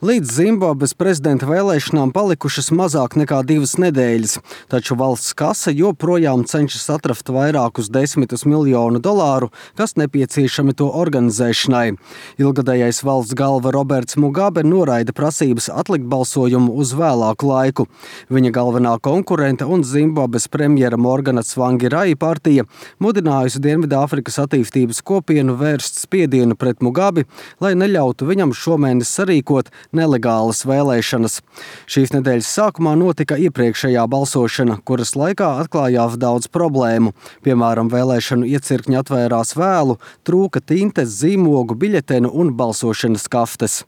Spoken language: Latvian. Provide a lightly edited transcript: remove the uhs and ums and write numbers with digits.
Līdz Zimbabves prezidenta vēlēšanām palikušas mazāk nekā 2 nedēļas, taču valsts kase joprojām cenšas atrast vairākus $10 miljonu, kas nepieciešami to organizēšanai. Ilgadējais valsts galva Roberts Mugabe noraida prasības atlikt balsojumu uz vēlāku laiku. Viņa galvenā konkurente un Zimbabves premjera Morgana Tsvangirai partija mudinājusi Dienvidāfrikas attīstības kopienu vērst spiedienu pret Mugabi, lai neļautu viņam šomēnes sarīkot nelegālas vēlēšanas. Šīs nedēļas sākumā notika iepriekšējā balsošana, kuras laikā atklājās daudz problēmu. Piemēram, vēlēšanu iecirkņi atvērās vēlu, trūka tintes, zīmogu, biļetenu un balsošanas kaftes.